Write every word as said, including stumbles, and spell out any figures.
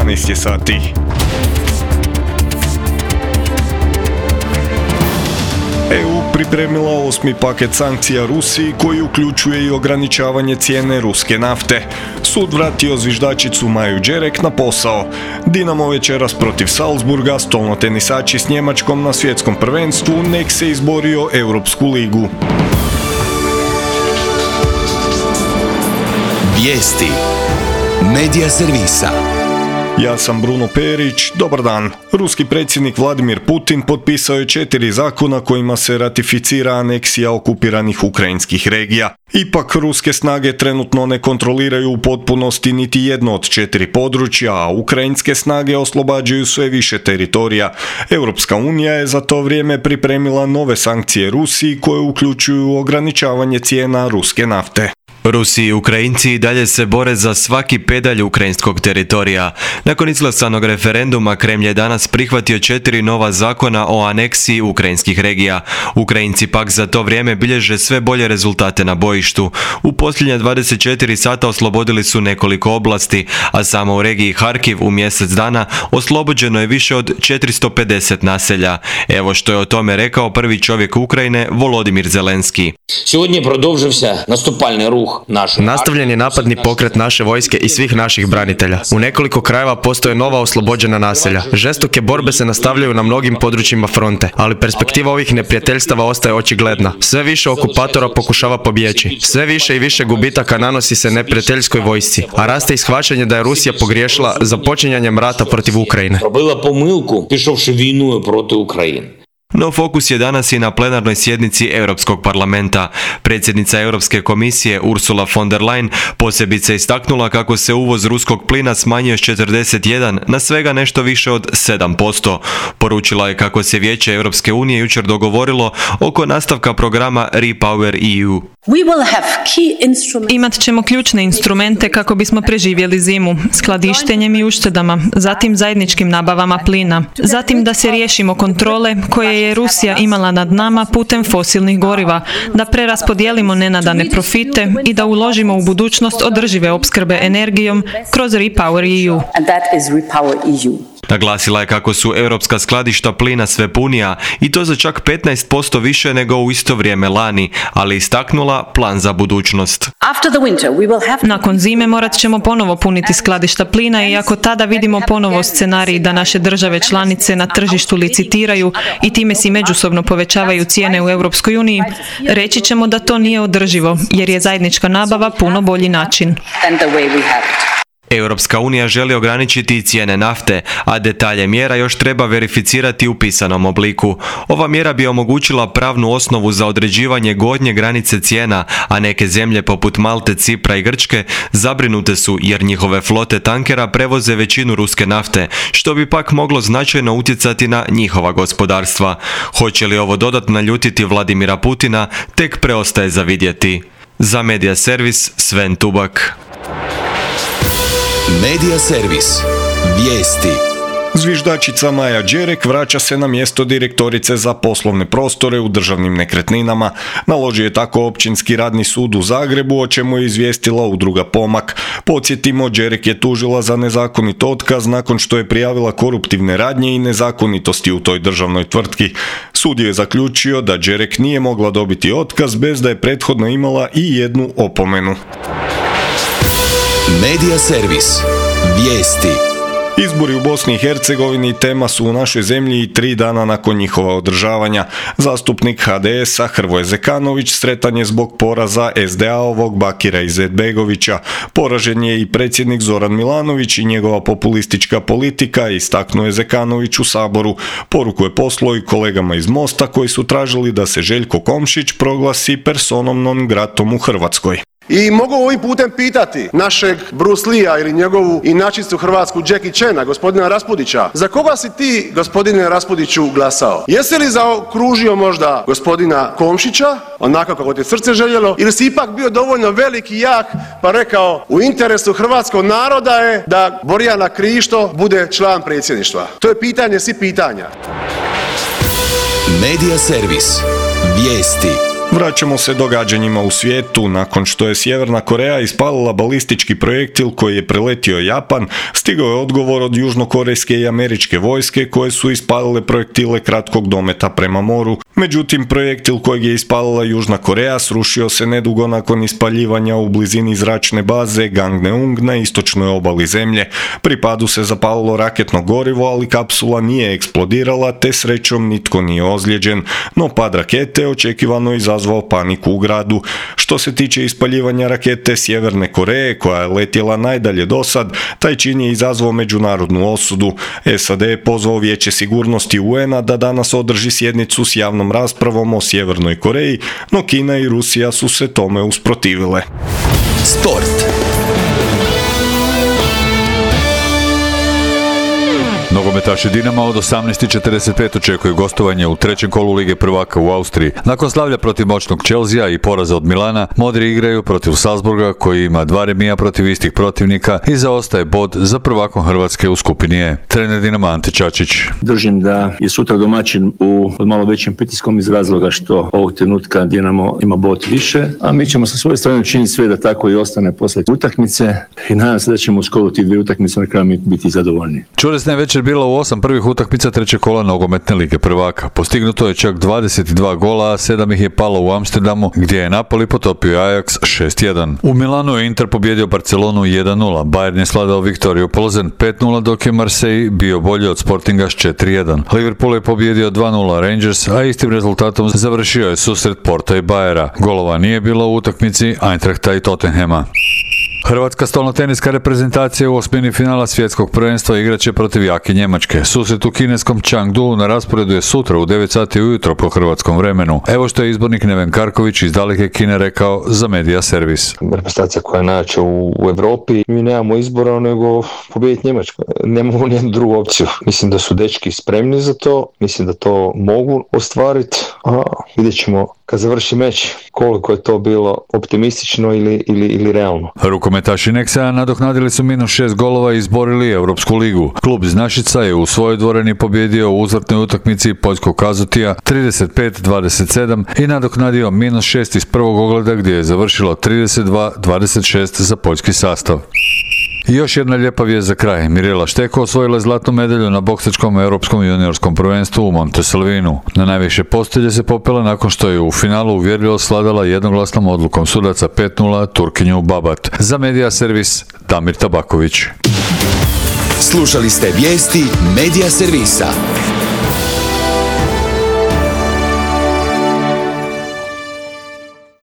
jedanaest je sati. E U pripremila osmi paket sankcija Rusiji koji uključuje i ograničavanje cijene ruske nafte. Sud vratio zviždačicu Maju Đerek na posao. Dinamo večeras protiv Salzburga, stolnotenisači s Njemačkom na svjetskom prvenstvu, nek se izborio Europsku ligu. Vijesti Medija servisa. Ja sam Bruno Perić, dobar dan. Ruski predsjednik Vladimir Putin potpisao je četiri zakona kojima se ratificira aneksija okupiranih ukrajinskih regija. Ipak, ruske snage trenutno ne kontroliraju u potpunosti niti jedno od četiri područja, a ukrajinske snage oslobađaju sve više teritorija. Europska unija je za to vrijeme pripremila nove sankcije Rusiji koje uključuju ograničavanje cijena ruske nafte. Rusi i Ukrajinci i dalje se bore za svaki pedalj ukrajinskog teritorija. Nakon izglasanog referenduma, Kremlj je danas prihvatio četiri nova zakona o aneksiji ukrajinskih regija. Ukrajinci pak za to vrijeme bilježe sve bolje rezultate na bojištu. U posljednja dvadeset četiri sata oslobodili su nekoliko oblasti, a samo u regiji Harkiv u mjesec dana oslobođeno je više od četiristo pedeset naselja. Evo što je o tome rekao prvi čovjek Ukrajine, Volodimir Zelenski. Сьогодні продовжився наступальний рух. Nastavljen je napadni pokret naše vojske i svih naših branitelja. U nekoliko krajeva postoje nova oslobođena naselja. Žestoke borbe se nastavljaju na mnogim područjima fronte, ali perspektiva ovih neprijateljstava ostaje očigledna. Sve više okupatora pokušava pobjeći. Sve više i više gubitaka nanosi se neprijateljskoj vojsci, a raste i shvaćanje da je Rusija pogriješila započinjanjem rata protiv Ukrajine. Робила помилку, пішовши війною проти України. No fokus je danas i na plenarnoj sjednici Europskog parlamenta. Predsjednica Europske komisije Ursula von der Leyen posebice istaknula kako se uvoz ruskog plina smanjio s četrdeset jedan na svega nešto više od sedam posto. Poručila je kako se Vijeće Europske unije jučer dogovorilo oko nastavka programa Repower E U. Imat ćemo ključne instrumente kako bismo preživjeli zimu, skladištenjem i uštedama, zatim zajedničkim nabavama plina, zatim da se riješimo kontrole koje je Rusija imala nad nama putem fosilnih goriva, da preraspodijelimo nenadane profite i da uložimo u budućnost održive opskrbe energijom kroz Repower E U. Naglasila je kako su europska skladišta plina sve punija i to za čak petnaest posto više nego u isto vrijeme lani, ali istaknula plan za budućnost. Nakon zime morat ćemo ponovo puniti skladišta plina i ako tada vidimo ponovo scenarij da naše države članice na tržištu licitiraju i time si međusobno povećavaju cijene u Europskoj uniji, reći ćemo da to nije održivo jer je zajednička nabava puno bolji način. Europska unija želi ograničiti cijene nafte, a detalje mjera još treba verificirati u pisanom obliku. Ova mjera bi omogućila pravnu osnovu za određivanje gornje granice cijena, a neke zemlje poput Malte, Cipra i Grčke zabrinute su jer njihove flote tankera prevoze većinu ruske nafte, što bi pak moglo značajno utjecati na njihova gospodarstva. Hoće li ovo dodatno naljutiti Vladimira Putina, tek preostaje za vidjeti. Za Medija servis, Sven Tubak. Medija servis. Vijesti. Zviždačica Maja Đerek vraća se na mjesto direktorice za poslovne prostore u državnim nekretninama. Naložio je tako Općinski radni sud u Zagrebu, o čemu je izvijestila udruga Pomak. Podsjetimo, Đerek je tužila za nezakonit otkaz nakon što je prijavila koruptivne radnje i nezakonitosti u toj državnoj tvrtki. Sud je zaključio da Đerek nije mogla dobiti otkaz bez da je prethodno imala i jednu opomenu. Medija servis. Vijesti. Izbori u Bosni i Hercegovini tema su u našoj zemlji i tri dana nakon njihova održavanja. Zastupnik ha de es a Hrvoje Zekanović sretan je zbog poraza es de a-ovog Bakira Izetbegovića. Poražen je i predsjednik Zoran Milanović i njegova populistička politika, istaknuo je Zekanović u Saboru. Poruku je poslao i kolegama iz Mosta koji su tražili da se Željko Komšić proglasi personom non gratom u Hrvatskoj. I mogu ovim putem pitati našeg Bruce Lee-a ili njegovu inačicu hrvatsku Jackie Chana, gospodina Raspudića, za koga si ti, gospodine Raspudiću, glasao? Jesi li zaokružio možda gospodina Komšića, onako kako ti srce željelo, ili si ipak bio dovoljno velik i jak pa rekao u interesu hrvatskog naroda je da Borjana Krišto bude član predsjedništva? To je pitanje svih pitanja. Medija servis. Vijesti. Vraćamo se događanjima u svijetu. Nakon što je Sjeverna Koreja ispalila balistički projektil koji je preletio Japan, stigao je odgovor od južnokorejske i američke vojske koje su ispalile projektile kratkog dometa prema moru. Međutim, projektil kojeg je ispalila Južna Koreja srušio se nedugo nakon ispaljivanja u blizini zračne baze Gangneung na istočnoj obali zemlje. Pri padu se zapalilo raketno gorivo, ali kapsula nije eksplodirala, te srećom nitko nije ozlijeđen, no pad rakete očekivano izazvao paniku u gradu. Što se tiče ispaljivanja rakete Sjeverne Koreje, koja je letjela najdalje dosad, taj čin je izazvao međunarodnu osudu. S A D je pozvao Vijeće sigurnosti U N-a da danas održi sjednicu s javnom raspravom o Sjevernoj Koreji, no Kina i Rusija su se tome usprotivile. Sport. Nogometaši Dinama od osamnaest i četrdeset pet očekuju gostovanje u trećem kolu Lige prvaka u Austriji. Nakon slavlja protiv moćnog Chelsea i poraza od Milana, modri igraju protiv Salzburga koji ima dva remija protiv istih protivnika i zaostaje bod za prvakom Hrvatske u skupini E. Trener Dinama Ante Čačić. Držim da je sutra domaćin u malo većim pritiskom iz razloga što ovog trenutka Dinamo ima bod više, a mi ćemo sa svoje strane učiniti sve da tako i ostane poslije utakmice i nadam se da ćemo u skolu tih dvije utakmice na kraju biti zadovoljni. Čudesna je večer bila u osam prvih utakmica trećeg kola nogometne Lige prvaka. Postignuto je čak dvadeset dva gola, a sedam ih je palo u Amsterdamu, gdje je Napoli potopio Ajax šest jedan. U Milanu je Inter pobjedio Barcelonu jedan nula, Bayern je sladao Viktoriju Plzen pet nula, dok je Marseille bio bolji od Sportinga s četiri jedan. Liverpool je pobjedio dva nula Rangers, a istim rezultatom završio je susret Porta i Bayera. Golova nije bilo u utakmici Eintrachta i Tottenhama. Hrvatska stolnoteniska reprezentacija u osmini finala svjetskog prvenstva igraće protiv jake Njemačke. Susret u kineskom Chengdu na rasporedu je sutra u devet sati ujutro po hrvatskom vremenu. Evo što je izbornik Neven Karković iz daleke Kine rekao za Media Servis. Reprezentacija koja je najjača u, u Europi, mi nemamo izbora nego pobijediti Njemačku. Nemamo nijednu drugu opciju. Mislim da su dečki spremni za to, mislim da to mogu ostvariti, a vidjet ćemo kad završi meč koliko je to bilo optimistično ili, ili, ili realno. Rukometaši Nexa nadoknadili su minus šest golova i izborili Europsku ligu. Klub iz Našica je u svojoj dvorani pobjedio u uzvratnoj utakmici poljskog Kazutija trideset pet dvadeset sedam i nadoknadio minus šest iz prvog ogleda gdje je završilo trideset dva dvadeset šest za poljski sastav. I još jedna lijepa vijest za kraj. Mirela Šteko osvojila je zlatnu medalju na boksačkom europskom juniorskom prvenstvu u Montesalvinu. Na najviše postelje se popela nakon što je u finalu uvjerljivo sladala jednoglasnom odlukom sudaca pet nula Turkinju Babat. Za Media Servis Damir Tabaković. Slušali ste vijesti Media Servisa.